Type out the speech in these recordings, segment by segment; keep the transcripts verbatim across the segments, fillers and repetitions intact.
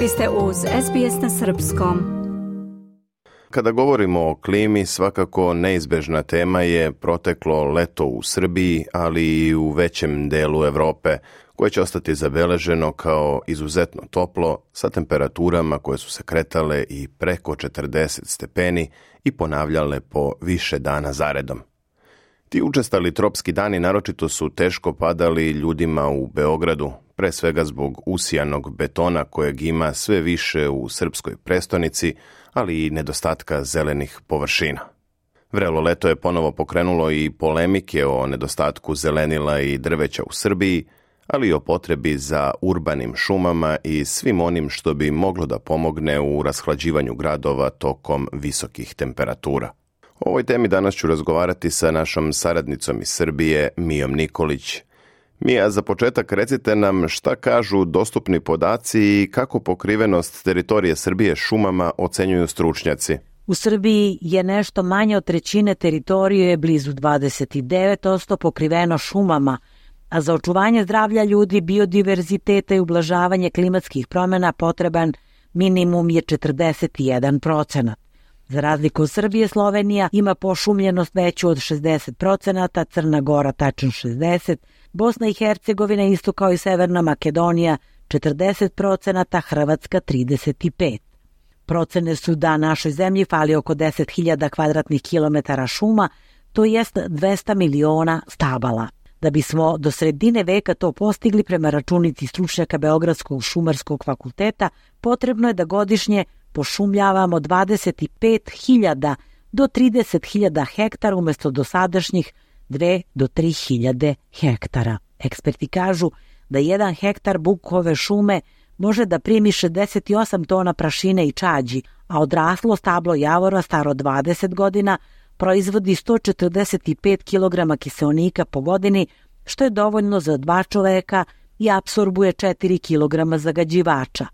Vi ste uz S B S na srpskom. Kada govorimo o klimi, svakako neizbežna tema je proteklo leto u Srbiji, ali i u većem delu Evrope, koje će ostati zabeleženo kao izuzetno toplo, sa temperaturama koje su se kretale i preko četrdeset stepeni i ponavljale po više dana zaredom. Ti učestali tropski dani naročito su teško padali ljudima u Beogradu, pre svega zbog usijanog betona kojeg ima sve više u srpskoj prestonici, ali i nedostatka zelenih površina. Vrelo leto je ponovo pokrenulo i polemike o nedostatku zelenila i drveća u Srbiji, ali i o potrebi za urbanim šumama i svim onim što bi moglo da pomogne u rashlađivanju gradova tokom visokih temperatura. O ovoj temi danas ću razgovarati sa našom saradnicom iz Srbije, Mijom Nikolić. Mija, za početak recite nam šta kažu dostupni podaci i kako pokrivenost teritorije Srbije šumama ocenjuju stručnjaci. U Srbiji je nešto manje od trećine teritorije, blizu dvadeset devet posto pokriveno šumama, a za očuvanje zdravlja ljudi, biodiverziteta i ublažavanje klimatskih promjena potreban minimum je četrdeset jedan procenat. Za razliku od Srbije, Slovenija ima pošumljenost veću od šezdeset procenata, Crna Gora tačno šezdeset procenata, Bosna i Hercegovina isto kao i Severna Makedonija četrdeset procenata, Hrvatska trideset pet procenata. Procene su da našoj zemlji fali oko deset hiljada kvadratnih kilometara šuma, to jest dvesta miliona stabala. Da bismo do sredine veka to postigli, prema računici stručnjaka Beogradskog šumarskog fakulteta, potrebno je da godišnje pošumljavamo dvadeset pet hiljada do trideset hiljada hektara umjesto dosadašnjih dve do tri hiljade hektara. Eksperti kažu da jedan hektar bukove šume može da primi šezdeset osam tona prašine i čađi, a odraslo stablo javora staro dvadeset godina proizvodi sto četrdeset pet kilograma kiseonika po godini, što je dovoljno za dva čoveka i apsorbuje četiri kilograma zagađivača.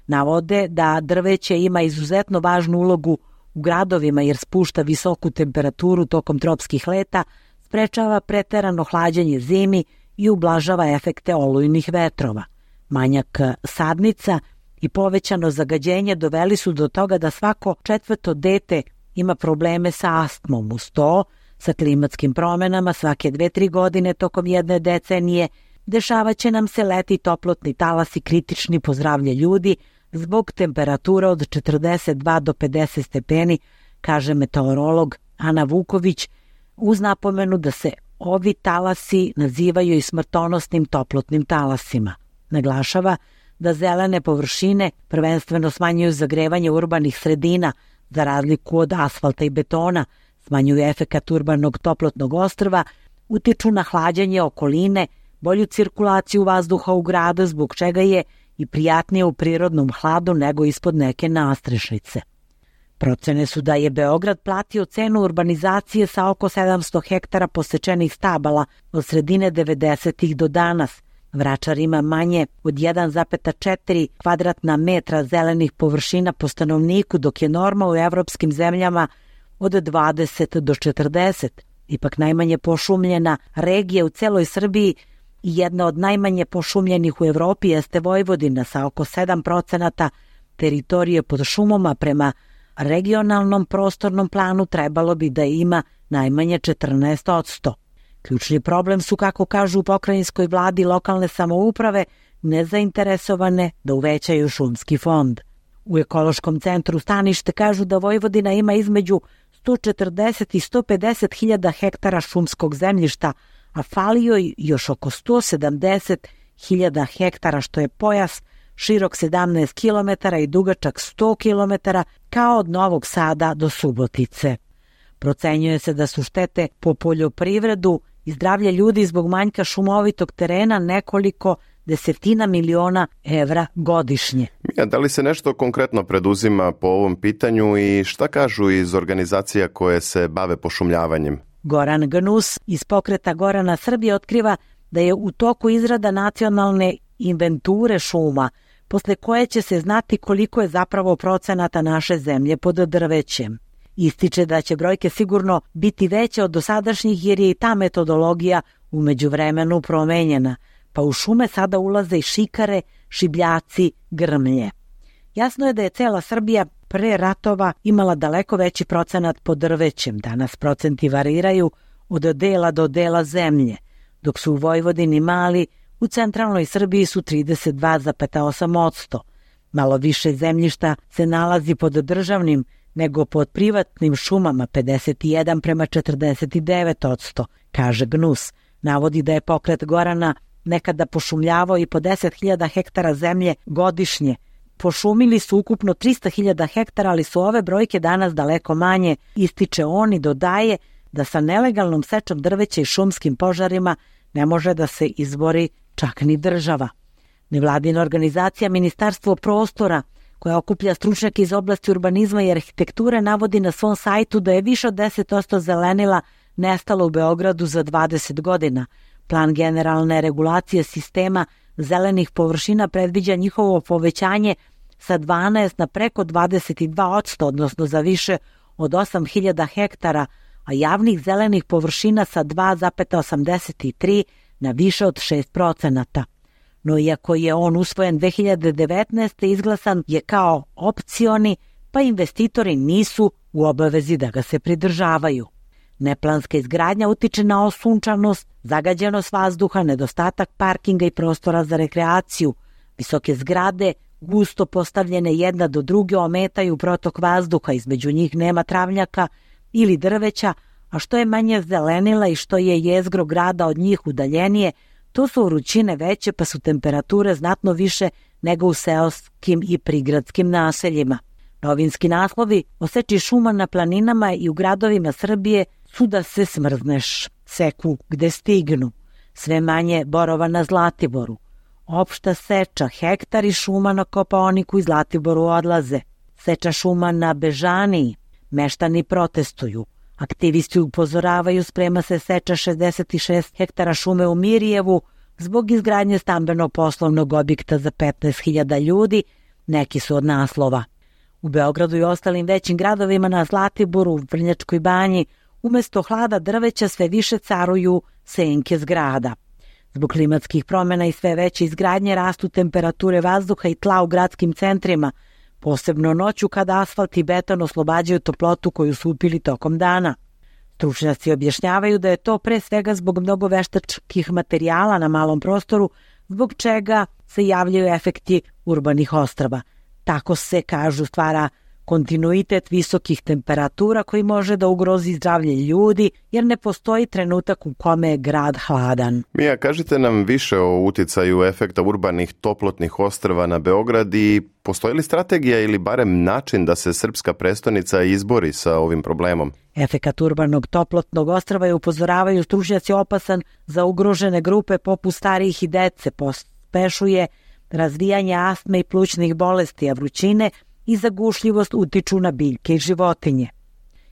Navode da drveće ima izuzetno važnu ulogu u gradovima jer spušta visoku temperaturu tokom tropskih leta, sprečava preterano hlađenje zimi i ublažava efekte olujnih vetrova. Manjak sadnica i povećano zagađenje doveli su do toga da svako četvrto dete ima probleme sa astmom. Uz to, sa klimatskim promjenama svake dve, tri godine tokom jedne decenije dešavaće nam se leti toplotni talasi kritični po zdravlje ljudi zbog temperatura od četrdeset dva do pedeset stepeni, kaže meteorolog Ana Vuković, uz napomenu da se ovi talasi nazivaju i smrtonosnim toplotnim talasima. Naglašava da zelene površine prvenstveno smanjuju zagrevanje urbanih sredina, za razliku od asfalta i betona, smanjuju efekat urbanog toplotnog ostrva, utiču na hlađenje okoline, bolju cirkulaciju vazduha u gradu, zbog čega je i prijatnije u prirodnom hladu nego ispod neke nastrešnice. Procene su da je Beograd platio cenu urbanizacije sa oko sedamsto hektara posečenih stabala od sredine devedesetih do danas. Vračar ima manje od jedan zarez četiri kvadratna metra zelenih površina po stanovniku, dok je norma u evropskim zemljama od dvadeset do četrdeset. Ipak najmanje pošumljena regija u celoj Srbiji i jedna od najmanje pošumljenih u Evropi jeste Vojvodina sa oko sedam procenata teritorije pod šumama. Prema regionalnom prostornom planu trebalo bi da ima najmanje četrnaest posto. Ključni problem su, kako kažu u pokrajinskoj vladi, lokalne samouprave nezainteresovane da uvećaju šumski fond. U ekološkom centru Stanište kažu da Vojvodina ima između sto četrdeset i sto pedeset hiljada hektara šumskog zemljišta, a fali joj još oko sto sedamdeset hiljada hektara, što je pojas širok sedamnaest kilometara i dugačak sto kilometara, kao od Novog Sada do Subotice. Procenjuje se da su štete po poljoprivredu i zdravlje ljudi zbog manjka šumovitog terena nekoliko desetina miliona evra godišnje. Mija, da li se nešto konkretno preduzima po ovom pitanju i šta kažu iz organizacija koje se bave pošumljavanjem? Goran Gnus iz pokreta Gorana Srbije otkriva da je u toku izrada nacionalne inventure šuma, posle koje će se znati koliko je zapravo procenata naše zemlje pod drvećem. Ističe da će brojke sigurno biti veće od dosadašnjih jer je i ta metodologija u međuvremenu promenjena, pa u šume sada ulaze i šikare, šibljaci, grmlje. Jasno je da je cela Srbija pre ratova imala daleko veći procenat pod drvećem. Danas procenti variraju od dela do dela zemlje, dok su u Vojvodini mali, u centralnoj Srbiji su trideset dva zarez osam posto. Malo više zemljišta se nalazi pod državnim nego pod privatnim šumama, pedeset jedan prema četrdeset devet posto, kaže G N U S. Navodi da je pokret Gorana nekada pošumljavao i po deset hiljada hektara zemlje godišnje. Pošumili su ukupno trista hiljada hektara, ali su ove brojke danas daleko manje, ističe on i dodaje da sa nelegalnom sečom drveća i šumskim požarima ne može da se izbori čak ni država. Nevladina organizacija Ministarstvo prostora, koja okuplja stručnjake iz oblasti urbanizma i arhitekture, navodi na svom sajtu da je više od deset posto zelenila nestalo u Beogradu za dvadeset godina. Plan generalne regulacije sistema zelenih površina predviđa njihovo povećanje sa dvanaest na preko dvadeset dva posto, odnosno za više od osam hiljada hektara, a javnih zelenih površina sa dva zarez osamdeset tri na više od šest procenata. No iako je on usvojen dve hiljade devetnaeste. izglasan je kao opcioni, pa investitori nisu u obavezi da ga se pridržavaju. Neplanska izgradnja utiče na osunčanost, zagađenost vazduha, nedostatak parkinga i prostora za rekreaciju. Visoke zgrade, gusto postavljene jedna do druge, ometaju protok vazduha, između njih nema travnjaka ili drveća, a što je manje zelenila i što je jezgro grada od njih udaljenije, to su vrućine veće, pa su temperature znatno više nego u seoskim i prigradskim naseljima. Novinski naslovi o seči šuma na planinama i u gradovima Srbije su da se smrzneš, seku gde stignu, sve manje borova na Zlatiboru. Opšta seča, hektari šuma na Kopaoniku i Zlatiboru odlaze. Seča šuma na Bežaniji, meštani protestuju. Aktivisti upozoravaju, sprema se seča šezdeset šest hektara šume u Mirjevu zbog izgradnje stambeno-poslovnog objekta za petnaest hiljada ljudi, neki su od naslova. U Beogradu i ostalim većim gradovima na Zlatiboru, Vrnjačkoj banji, umesto hlada drveća sve više caruju senke zgrada. Zbog klimatskih promjena i sve veće izgradnje rastu temperature vazduha i tla u gradskim centrima, posebno noću kada asfalt i beton oslobađaju toplotu koju su upili tokom dana. Stručnjaci objašnjavaju da je to pre svega zbog mnogo veštačkih materijala na malom prostoru, zbog čega se javljaju efekti urbanih ostrva. Tako se, kažu, stvara kontinuitet visokih temperatura koji može da ugrozi zdravlje ljudi, jer ne postoji trenutak u kome je grad hladan. Mija, kažite nam više o uticaju efekta urbanih toplotnih ostrva na Beograd i postoji li strategija ili barem način da se srpska prestonica izbori sa ovim problemom? Efekat urbanog toplotnog ostrva je, upozoravaju stručnjaci, opasan za ugrožene grupe poput starijih i dece, pospešuje razvijanje astme i plućnih bolesti, a vrućine i zagušljivost utiču na biljke i životinje.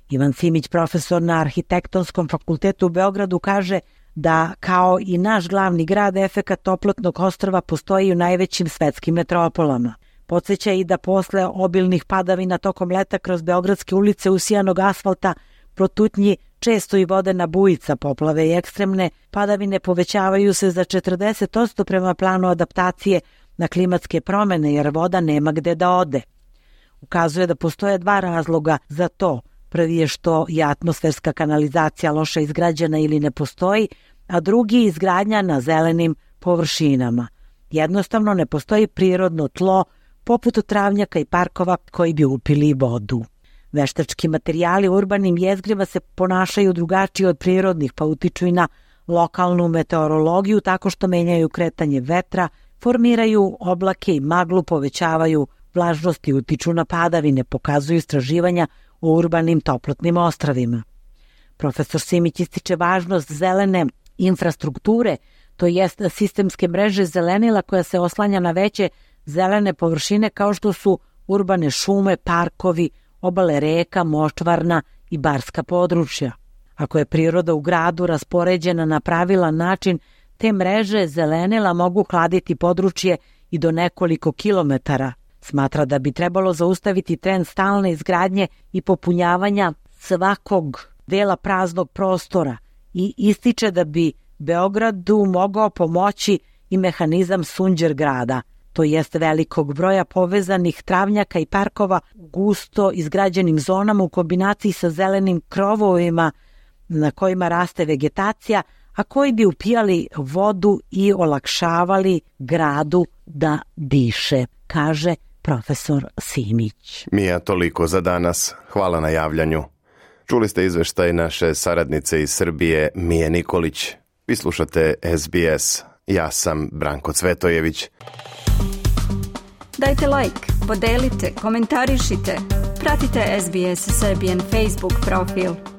Ivan Simić, profesor na Arhitektonskom fakultetu u Beogradu, kaže da kao i naš glavni grad, efekat toplotnog ostrva postoji u najvećim svetskim metropolama. Podsjeća i da posle obilnih padavina tokom leta kroz beogradske ulice usijanog asfalta protutnji često i vodena bujica, poplave i ekstremne padavine povećavaju se za četrdeset posto prema planu adaptacije na klimatske promjene, jer voda nema gde da ode. Ukazuje da postoje dva razloga za to. Prvi je što je atmosferska kanalizacija loše izgrađena ili ne postoji, a drugi je izgradnja na zelenim površinama. Jednostavno ne postoji prirodno tlo poput travnjaka i parkova koji bi upili vodu. Veštački materijali u urbanim jezgrima se ponašaju drugačije od prirodnih, pa utiču i na lokalnu meteorologiju tako što menjaju kretanje vetra, formiraju oblake i maglu, povećavaju vlažnost i utiču na padavine, pokazuju istraživanja u urbanim toplotnim ostrvima. Profesor Simić ističe važnost zelene infrastrukture, to jest sistemske mreže zelenila koja se oslanja na veće zelene površine kao što su urbane šume, parkovi, obale reka, močvarna i barska područja. Ako je priroda u gradu raspoređena na pravilan način, te mreže zelenila mogu hladiti područje i do nekoliko kilometara. Smatra da bi trebalo zaustaviti trend stalne izgradnje i popunjavanja svakog dela praznog prostora i ističe da bi Beogradu mogao pomoći i mehanizam Sunđer grada. to jeste velikog broja povezanih travnjaka i parkova u gusto izgrađenim zonama u kombinaciji sa zelenim krovovima na kojima raste vegetacija, a koji bi upijali vodu i olakšavali gradu da diše, kaže profesor Simić. Mija, toliko za danas. Hvala na javljanju. Čuli ste izveštaj naše saradnice iz Srbije, Mije Nikolić. Vi slušate S B S. Ja sam Branko Cvetojević. Dajte like, podelite, komentarišite. Pratite S B S Serbian Facebook profil.